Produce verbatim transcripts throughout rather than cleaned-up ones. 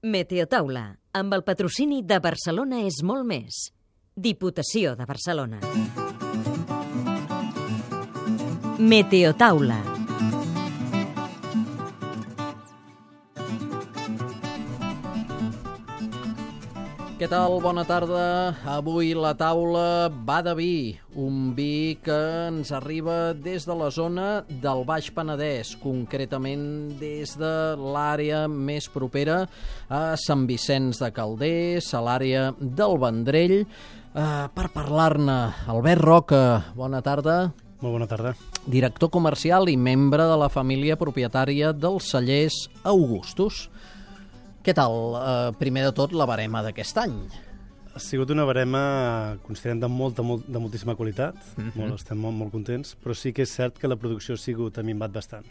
Meteotaula, amb el patrocini de Barcelona és molt més. Diputació de Barcelona. Meteotaula. Què tal? Bona tarda. Avui la taula va de vi, un vi que ens arriba des de la zona del Baix Penedès, concretament des de l'àrea més propera a Sant Vicenç de Calders, a l'àrea del Vendrell. Uh, per parlar-ne, Albert Roca, bona tarda. Molt bona tarda. Director comercial i membre de la família propietària dels cellers Augustus. Què tal, eh, primer de tot, la barema d'aquest any? Ha sigut una barema, considerem, de molta, molt, de moltíssima qualitat. Uh-huh. molt, estem molt, molt contents, però sí que és cert que la producció ha sigut, ha minvat bastant.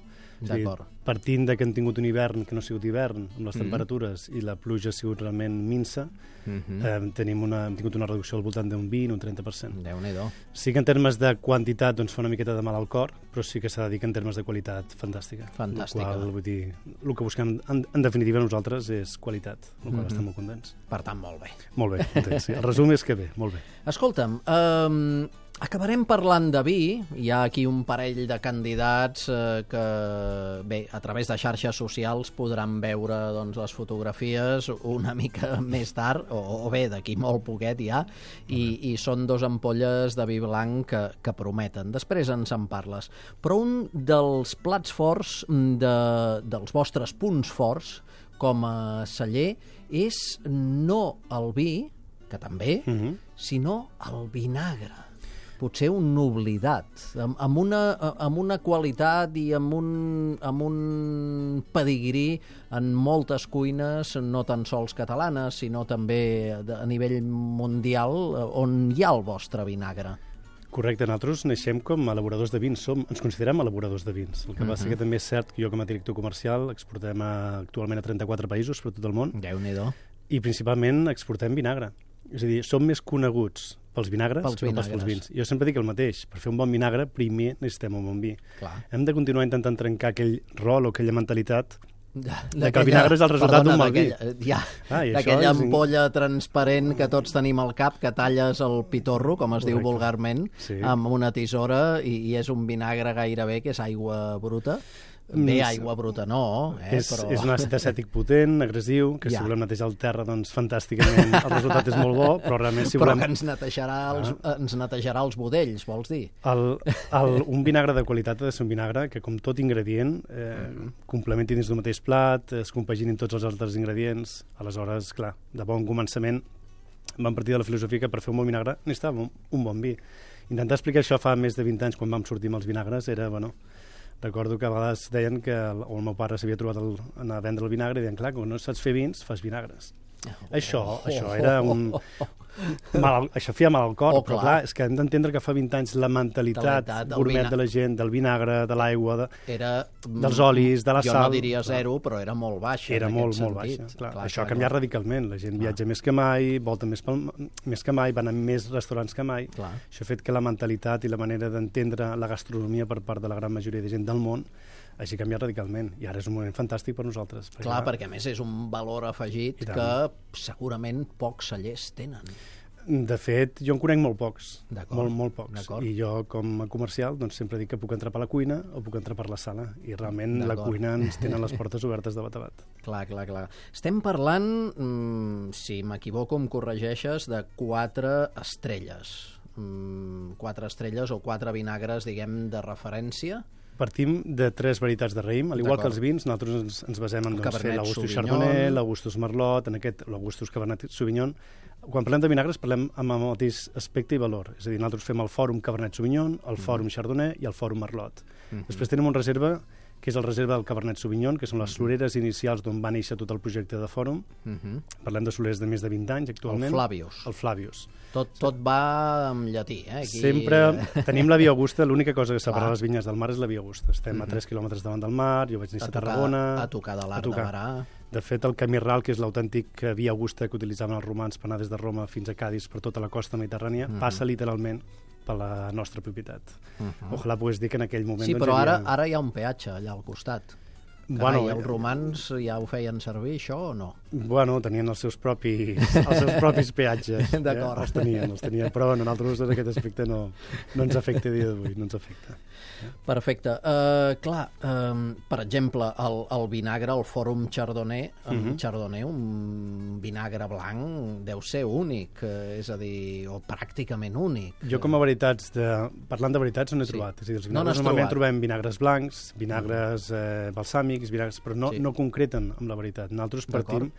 D'acord. O sigui, partint de que hem tingut un hivern que no ha sigut hivern, amb les temperatures, uh-huh. i la pluja ha sigut realment minsa, uh-huh. eh, tenim una, hem tingut una reducció al voltant d'un vint, un trenta per cent. Déu-n'hi-do. Sí que en termes de quantitat doncs, fa una miqueta de mal al cor, però sí que s'ha de dir que en termes de qualitat, fantàstica. Fantàstica. El qual, vull dir, el que busquem, en, en definitiva, nosaltres és qualitat, el qual uh-huh. estem molt contents. Per tant, molt bé. Molt bé, contents, sí. El resum és que bé, molt bé. Escolta'm, eh, acabarem parlant de vi. Hi ha aquí un parell de candidats eh, que, bé, a través de xarxes socials podran veure doncs, les fotografies una mica més tard, o, o bé, d'aquí molt poquet ja, i, i són dos ampolles de vi blanc que, que prometen. Després ens en parles. Però un dels plats forts, de, dels vostres punts forts com a celler, és no el vi, que també, uh-huh. sinó el vinagre. Potser un oblidat, amb, amb, una, amb una qualitat i amb un, amb un pedigrí en moltes cuines, no tan sols catalanes, sinó també a nivell mundial, on hi ha el vostre vinagre. Correcte, nosaltres naixem com a elaboradors de vins, som, ens considerem elaboradors de vins. El que uh-huh. passa que també és cert que jo com a director comercial exportem a, actualment a trenta-quatre països per tot el món. Déu-n'hi-do. I principalment exportem vinagre. És a dir, som més coneguts pels vinagres pels que no pas pels vins. Jo sempre dic el mateix, per fer un bon vinagre primer necessitem un bon vi. Clar. Hem de continuar intentant trencar aquell rol o aquella mentalitat de, de que el vinagre és el resultat d'un mal vi. Ja, ah, d'aquella és... ampolla transparent que tots tenim al cap, que talles el pitorro, com es Correcte. Diu vulgarment, sí. amb una tisora, i, i és un vinagre gairebé que és aigua bruta. Bé, aigua bruta no, eh, és, però... És un àcid acètic potent, agressiu, que ja. si volem netejar el terra, doncs fantàsticament el resultat és molt bo, però realment si però volem... que ens netejarà, els, ah. ens netejarà els budells, vols dir? El, el, un vinagre de qualitat ha de ser un vinagre que, com tot ingredient, eh, mm. complementi dins d'un mateix plat, es compaginin tots els altres ingredients. Aleshores, clar, de bon començament vam partir de la filosofia que per fer un bon vinagre necessitàvem un, un bon vi. Intentar explicar això fa més de vint anys, quan vam sortir amb els vinagres, era, bueno... Recordo que a vegades deien que el, o el meu pare s'havia trobat el, anar a vendre el vinagre i deien, clar, quan no saps fer vins, fas vinagres. Oh, això, oh, això era un... Mal, això feia mal al cor, oh, però clar, és que hem d'entendre que fa vint anys la mentalitat gourmet de la gent, del vinagre, de l'aigua, de, era, dels olis, de la jo sal... Jo no diria zero, però era molt baixa. Era molt, molt baixa. Clar, clar, això ha canviat clar. radicalment. La gent clar. viatja més que mai, volta més, pel, més que mai, van a més restaurants que mai. Clar. Això ha fet que la mentalitat i la manera d'entendre la gastronomia per part de la gran majoria de gent del món hagi canviat radicalment, i ara és un moment fantàstic per nosaltres. Perquè Clar, perquè a més és un valor afegit que segurament pocs cellers tenen. De fet, jo en conec molt pocs, molt, molt pocs. I jo, com a comercial, doncs, sempre dic que puc entrar per la cuina o puc entrar per la sala. I realment la cuina ens tenen les portes obertes de bat a bat. Clar, clar, clar. Estem parlant, mmm, si m'equivoco em corregeixes, de quatre estrelles. Mm, quatre estrelles o quatre vinagres, diguem, de referència. Partim de tres varietats de raïm, al igual que els vins, nosaltres ens, ens basem en doncs, fer l'Augustus Chardonnay, l'Augustus Merlot, en aquest l'Augustus Cabernet Sauvignon. Quan parlem de vinagres parlem amb el mateix aspecte i valor, és a dir, nosaltres fem el Fòrum Cabernet Sauvignon, el Fòrum mm. Chardonnay i el Fòrum Merlot. Mm-hmm. Després tenim una reserva que és el reserva del Cabernet Sauvignon, que són les floreres inicials d'on va néixer tot el projecte de Fòrum. Mm-hmm. Parlem de floreres de més de vint anys actualment. El Flavius. El Flavius. Tot, tot va en llatí, eh? Aquí... Sempre tenim la Via Augusta, l'única cosa que separa les vinyes del mar és la Via Augusta. Estem mm-hmm. a tres quilòmetres davant del mar, jo vaig néixer a, a Tarragona... A tocar de l'Arc de Barà. De fet, el camí ral, que és l'autèntic Via Augusta que utilitzaven els romans per anar des de Roma fins a Cadis per tota la costa mediterrània, mm-hmm. passa literalment per la nostra propietat. Uh-huh. Ojalà pogués dir que en aquell moment... Sí, doncs, però havia... ara, ara hi ha un peatge allà al costat. Bueno, Carai, els romans ja ho feien servir, això, o no? Bueno, tenien els seus propis, els seus propis peatges. D'acord. Eh? Els tenien, els tenien, però bueno, nosaltres en aquest aspecte no, no ens afecta a dia d'avui, no ens afecta. Perfecte. Uh, clar, um, per exemple, el, el vinagre, el Fòrum Chardonnay, uh -huh. Chardonnay, un vinagre blanc deu ser únic, uh, és a dir, o pràcticament únic. Jo com a veritats, de, parlant de veritats, no n'he Sí. trobat. És a dir, els No vinagres n'has normalment trobat. trobem vinagres blancs, vinagres eh, balsàmics, vinagres, però no, Sí. no concreten amb la veritat. Nosaltres partim... D'acord.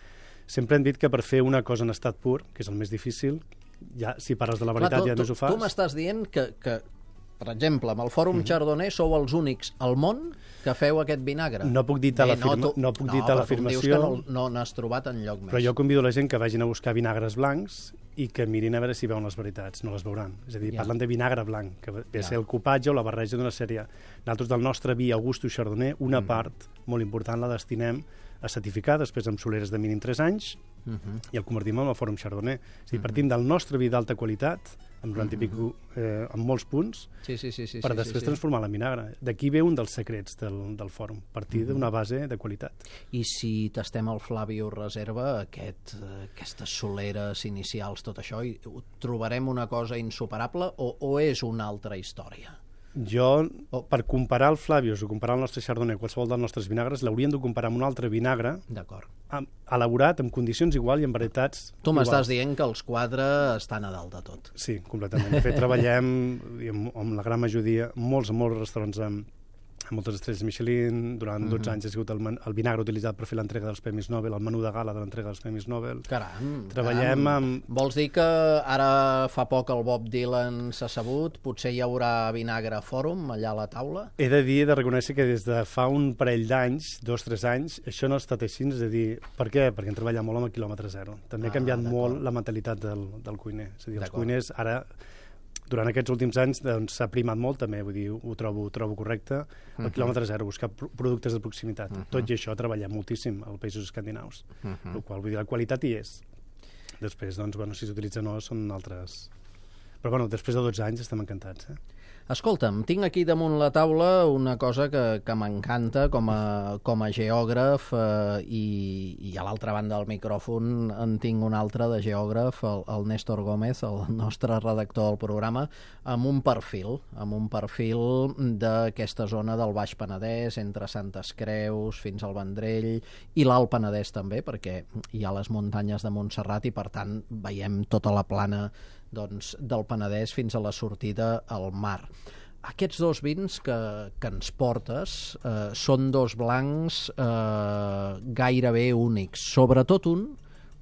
Sempre hem dit que per fer una cosa en estat pur, que és el més difícil, ja, si parles de la veritat Clar, tu, ja més ho tu, fas. tu m'estàs dient que, que, per exemple, amb el Fòrum Mhm. Chardonnay sou els únics al món que feu aquest vinagre. No puc dir tal Bé, afirma- tu- no puc dir no, tal però tu em dius afirmació. que no, no n'has trobat enlloc més. Però jo convido la gent que vagin a buscar vinagres blancs i que mirin a veure si veuen les veritats. No les veuran. És a dir, Ja. parlant de vinagre blanc, que ve a Ja. ser el copatge o la barreja d'una sèrie. Nosaltres del nostre vi Augustus Chardonnay, una Mm. part molt important la destinem a certificar, després amb soleres de mínim tres anys, Uh -huh. i el convertim en el Fòrum Chardonnay. És a dir, Mhm. partim del nostre vi d'alta qualitat, amb noranta i Mhm. pico, eh, amb molts punts, Sí, sí, sí, sí, per sí, després sí, sí. transformar en vinagre. D'aquí ve un dels secrets del, del fòrum, partir Mhm. d'una base de qualitat. I si tastem el Flavio Reserva, aquest, eh, aquestes soleres inicials, tot això, hi trobarem una cosa insuperable o, o és una altra història? Jo, Oh. per comparar el Flavius o comparar el nostre Chardonnay, qualsevol dels nostres vinagres, l'hauríem de comparar amb un altre vinagre D'acord. amb, elaborat en condicions igual i en varietats Tu iguals. m'estàs dient que els quatre estan a dalt de tot. Sí, completament. De fet, treballem i amb, amb la gran majoria, molts, molts restaurants amb, amb moltes estrelles Michelin. Durant dotze anys ha sigut el, men- el vinagre utilitzat per fer l'entrega dels Premis Nobel, el menú de gala de l'entrega dels Premis Nobel. Caram, Treballem caram. amb... Vols dir que ara fa poc el Bob Dylan s'ha sabut, potser hi haurà vinagre fòrum allà a la taula? He de dir, he de reconèixer que des de fa un parell d'anys, dos o tres anys, això no ha estat així, és a dir, per què? Perquè hem treballat molt amb el quilòmetre zero. També Ah, ha canviat d'acord. molt la mentalitat del, del cuiner. És a dir, els D'acord. cuiners ara, durant aquests últims anys, doncs, s'ha primat molt també, vull dir, ho trobo, ho trobo correcte, el Mhm. quilòmetre zero, buscar pro- productes de proximitat. Mhm. Tot i això treballem moltíssim als països escandinaus, Mhm. el qual vull dir, la qualitat hi és. Després, doncs, bueno, si s'utilitza o no, són altres... Però bueno, després de dotze anys estem encantats, eh? Escolta'm, tinc aquí damunt la taula una cosa que, que m'encanta com, a, com a geògraf eh, i, i a l'altra banda del micròfon en tinc un altre de geògraf, el, el Néstor Gómez, el nostre redactor del programa, amb un perfil, amb un perfil d'aquesta zona del Baix Penedès, entre Santes Creus fins al Vendrell i l'Alt Penedès també, perquè hi ha les muntanyes de Montserrat i per tant veiem tota la plana doncs, del Penedès fins a la sortida al mar. Aquests dos vins que, que ens portes eh, són dos blancs eh, gairebé únics, sobretot un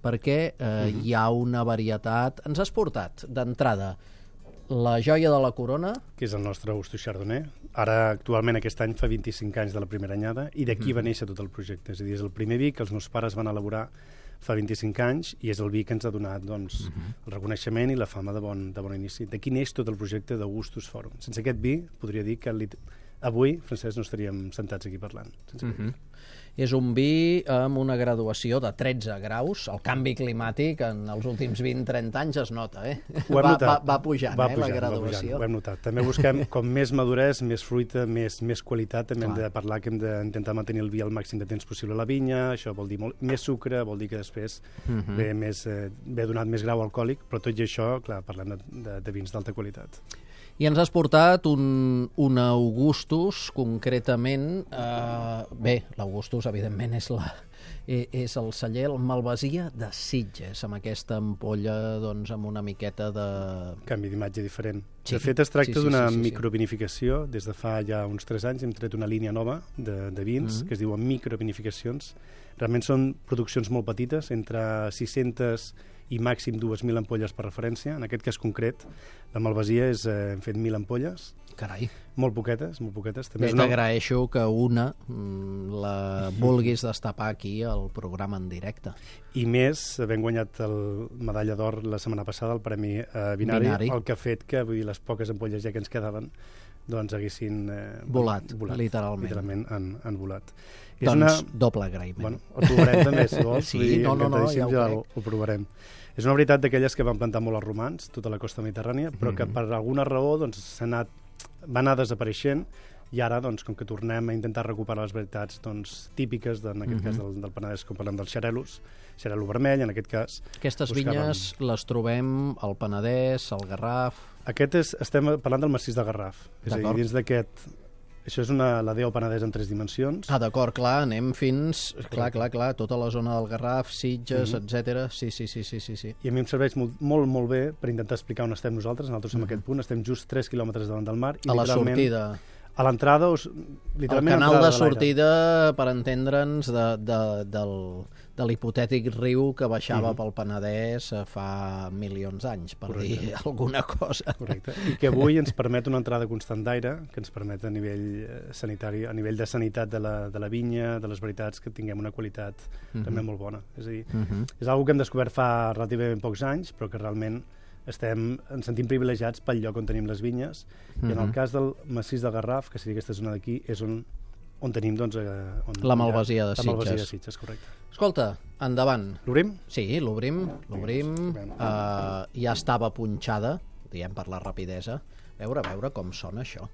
perquè eh, mm-hmm. hi ha una varietat... Ens has portat d'entrada la joia de la corona, que és el nostre Augustus Chardonnay. Ara, actualment, aquest any fa vint-i-cinc anys de la primera anyada i d'aquí mm-hmm. va néixer tot el projecte. És a dir, és el primer vi que els meus pares van elaborar fa vint-i-cinc anys i és el vi que ens ha donat doncs, uh-huh. el reconeixement i la fama de bon, de bon inici. D'aquí neix tot el projecte d'Augustus Fòrum. Sense aquest vi, podria dir que avui, Francesc, no estaríem sentats aquí parlant. Sense uh-huh. És un vi amb una graduació de tretze graus. El canvi climàtic en els últims vint trenta anys es nota, eh? Ho hem va, notat. va, va pujant, va eh, pujant, la graduació. Va pujant, ho hem notat. També busquem com més maduresa, més fruita, més, més qualitat. També Clar. hem de parlar que hem d'intentar mantenir el vi el màxim de temps possible a la vinya. Això vol dir molt, més sucre, vol dir que després Uh-huh. ve, més, eh, ve donat més grau alcohòlic, però tot i això, clar, parlem de, de, de vins d'alta qualitat. I ens has portat un, un Augustus, concretament... Eh, bé, l'Augustus, evidentment, és, la, eh, és el celler, el Malvasia de Sitges, amb aquesta ampolla doncs, amb una miqueta de... Canvi d'imatge diferent. Sí. De fet, es tracta Sí, sí, d'una sí, sí, sí. microvinificació. Des de fa ja uns tres anys hem tret una línia nova de, de vins Mhm. que es diuen microvinificacions. Realment són produccions molt petites, entre sis-centes i màxim dues mil ampolles per referència. En aquest cas concret, la Malvasia és, eh, hem fet mil ampolles, Carai, molt poquetes, molt poquetes. També bé, és una... t'agraeixo que una mm, la vulguis destapar aquí al programa en directe. I més, havent guanyat el medalla d'or la setmana passada, el Premi eh, Vinari, Vinari. el que ha fet que vull dir, les poques ampolles ja que ens quedaven doncs haguessin eh, Volat, literalment. literalment han, han volat. Doncs una... doble agraïment. Bueno, el provarem també, si vols. Sí, vull dir, no, no, no, ja ho encantadíssim, crec. ho, ho provarem. És una veritat d'aquelles que van plantar molt els romans, tota la costa mediterrània, però que Mhm. per alguna raó doncs, s'ha anat, va anar desapareixent I ara, doncs, com que tornem a intentar recuperar les varietats doncs, típiques, en aquest mm-hmm. cas del, del Penedès, com parlem dels xarelos, xarelo vermell, en aquest cas. Aquestes vinyes les trobem al Penedès, al Garraf... Aquest és, estem parlant del massís de Garraf. És a dir, dins d'aquest... Això és una, la D O Penedès en tres dimensions. Ah, d'acord, clar, anem fins... Clar, clar, clar, tota la zona del Garraf, Sitges, mm-hmm. etcètera. Sí, sí, sí, sí, sí, sí. I a mi em serveix molt, molt, molt bé per intentar explicar on estem nosaltres. Nosaltres mm-hmm. en aquest punt estem just tres quilòmetres davant del mar. I a la sortida. A l'entrada, literalment... El canal de sortida, per entendre'ns, de, de, del, de l'hipotètic riu que baixava mm-hmm. pel Penedès fa milions d'anys, per Correcte. Dir alguna cosa. Correcte. I que avui ens permet una entrada constant d'aire, que ens permet a nivell sanitari, a nivell de sanitat de la, de la vinya, de les varietats, que tinguem una qualitat mm-hmm. també molt bona. És a dir, mm-hmm. és una cosa que hem descobert fa relativament pocs anys, però que realment estem, ens sentim privilegiats pel lloc on tenim les vinyes, mm-hmm. i en el cas del massís de Garraf, que seria aquesta zona d'aquí, és on, on tenim doncs, eh, on, la malvasia de Sitges. La malvasia de Sitges, correcte. Escolta, endavant. L'obrim? Sí, l'obrim, l'obrim. Uh, ja estava punxada, diguem per la rapidesa. A veure, a veure com sona això.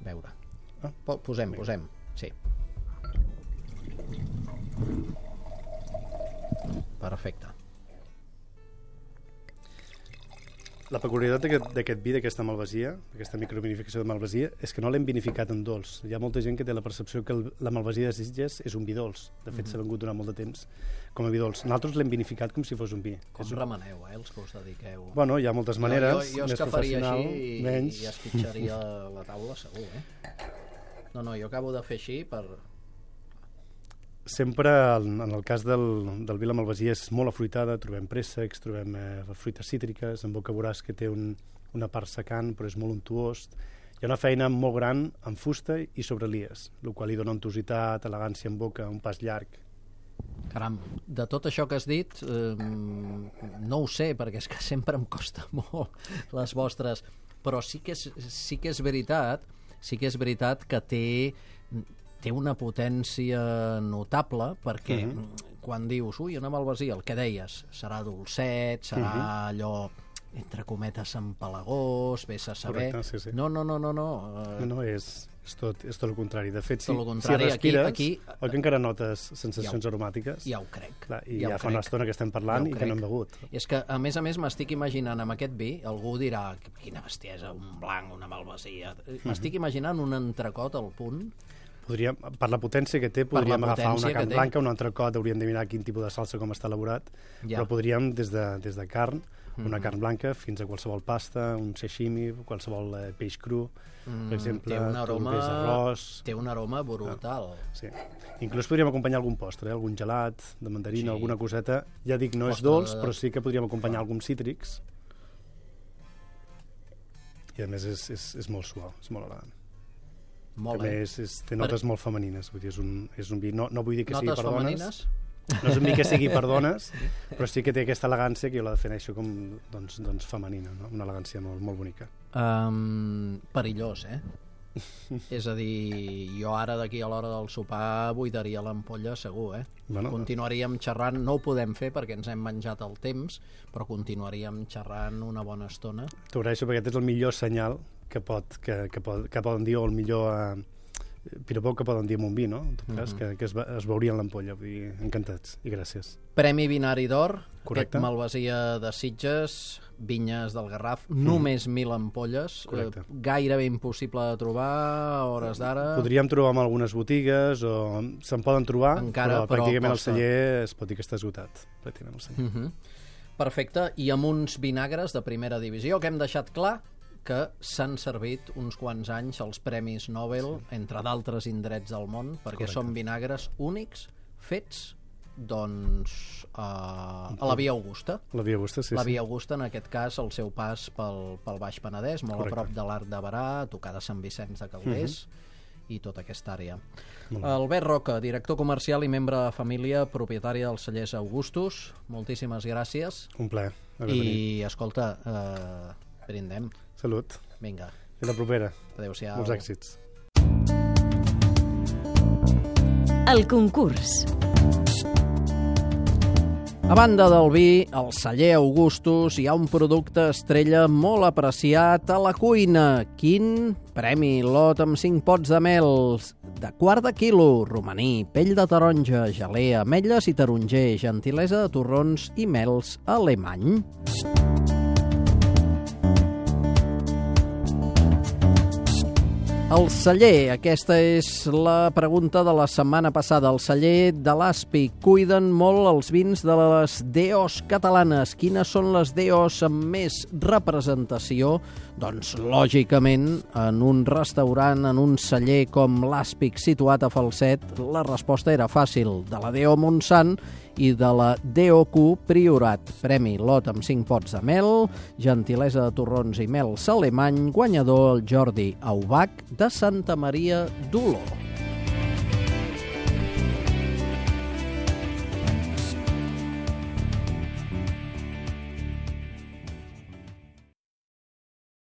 A veure. Ah, posem, bé. posem. Sí. Perfecte. La peculiaritat d'aquest vi, d'aquesta malvasia, d'aquesta microvinificació de malvasia, és que no l'hem vinificat en dolç. Hi ha molta gent que té la percepció que el, la malvasia de Sitges és un vi dolç. De fet, mm-hmm. s'ha vengut durant molt de temps com a vi dolç. Nosaltres l'hem vinificat com si fos un vi. Com un... remeneu, eh, els que us dediqueu? Bueno, hi ha moltes maneres, jo, jo, jo més professional, així i, menys... i esquitxaria la taula, segur, eh? No, no, jo acabo de fer així per... Sempre, en el cas del, del vi la malvasia, és molt afruitada, trobem préssecs, trobem eh, fruites cítriques, en boca veuràs que té un, una part secant, però és molt untuós. Hi ha una feina molt gran en fusta i sobre lies, el qual li dona untuositat, elegància en boca, un pas llarg. Caram, de tot això que has dit, eh, no ho sé, perquè és que sempre em costa molt les vostres, però sí que és, sí que és veritat, sí que és veritat que té... té una potència notable perquè uh-huh. quan dius, ui, una malvasia, el que deies, serà dolcet, serà uh-huh. allò, entre cometes, empalagós, vés a saber... Correcte, sí, sí. No, no, no, no. No, no, no és, és, tot, és tot el contrari. De fet, si, si respires, aquí, aquí, oi que encara notes sensacions ja ho, aromàtiques? Ja ho crec. Clar, I ja, ja fa crec. una estona que estem parlant ja i que no hem begut. És que, a més a més, m'estic imaginant amb aquest vi, algú dirà, quina bestiesa, un blanc, una malvasia... Uh-huh. M'estic imaginant un entrecot al punt. Podríem, per la potència que té, podríem agafar una carn blanca, un entrecot, hauríem de mirar quin tipus de salsa, com està elaborat, ja. Però podríem, des de, des de carn, una mm-hmm. carn blanca, fins a qualsevol pasta, un sashimi, qualsevol eh, peix cru, mm, per exemple, té un aroma, un arròs... Té un aroma brutal. Ah, sí. Inclús podríem acompanyar algun postre, eh? algun gelat de mandarina, sí. alguna coseta. Ja dic, no postre és dolç, de... però sí que podríem acompanyar alguns cítrics. I a més és, és, és molt suau, és molt elegant. Molt bé. És, és, té notes per... molt femenines, vull dir, és un, és un vi, no, no vull dir que notes sigui per femenines? Dones, no és un vi que sigui per dones, però sí que té aquesta elegància que jo la defineixo com doncs, doncs femenina, no? Una elegància molt, molt bonica. Um, perillós, eh? És a dir, jo ara d'aquí a l'hora del sopar buidaria l'ampolla segur, eh? Bueno, continuaríem xerrant, no ho podem fer perquè ens hem menjat el temps, però continuaríem xerrant una bona estona. T'agraeixo perquè aquest és el millor senyal que, pot, que, que, pot, que poden dir, o el millor eh, piropo que poden dir amb un vi, no? En tot cas, mm-hmm. que, que es, es veuria en l'ampolla. Vull dir, encantats i gràcies. Premi Vinari d'Or, correcte. Aquest malvasia de Sitges, vinyes del Garraf, mm. només mil ampolles, eh, gairebé impossible de trobar a hores d'ara. Podríem trobar en algunes botigues, o se'n poden trobar, encara, però, però pràcticament el celler es pot dir que està esgotat. Pràcticament el celler. Mm-hmm. Perfecte, i amb uns vinagres de primera divisió que hem deixat clar que s'han servit uns quants anys els Premis Nobel, sí. entre d'altres indrets del món, perquè correcte. Són vinagres únics, fets doncs a, a la Via Augusta. La Via Augusta, sí. La Via Augusta, en aquest cas, el seu pas pel, pel Baix Penedès, molt correcte. A prop de l'Arc de Berà, a tocar de Sant Vicenç de Calders, mm-hmm. i tota aquesta àrea. Albert Roca, director comercial i membre de família, propietari dels cellers Augustus, moltíssimes gràcies. Un plaer. I, escolta, eh, brindem. Salut. Vinga. Fins la propera. Adéu-siau. Molts èxits. El concurs. A banda del vi, al celler Augustus hi ha un producte estrella molt apreciat a la cuina. Quin? Premi lot amb cinc pots de mel de quart de quilo, romaní, pell de taronja, gelea, ametlles i taronger, gentilesa de torrons i mels alemany. El celler, aquesta és la pregunta de la setmana passada. El celler de l'Aspic cuiden molt els vins de les D Os catalanes. Quines són les D Os amb més representació? Doncs, lògicament, en un restaurant, en un celler com l'Aspic situat a Falset, la resposta era fàcil. De la D O Montsant i de la D O Q Priorat. Premi lot amb cinc pots de mel, gentilesa de torrons i mel alemany, guanyador el Jordi Aubach de Santa Maria d'Oló.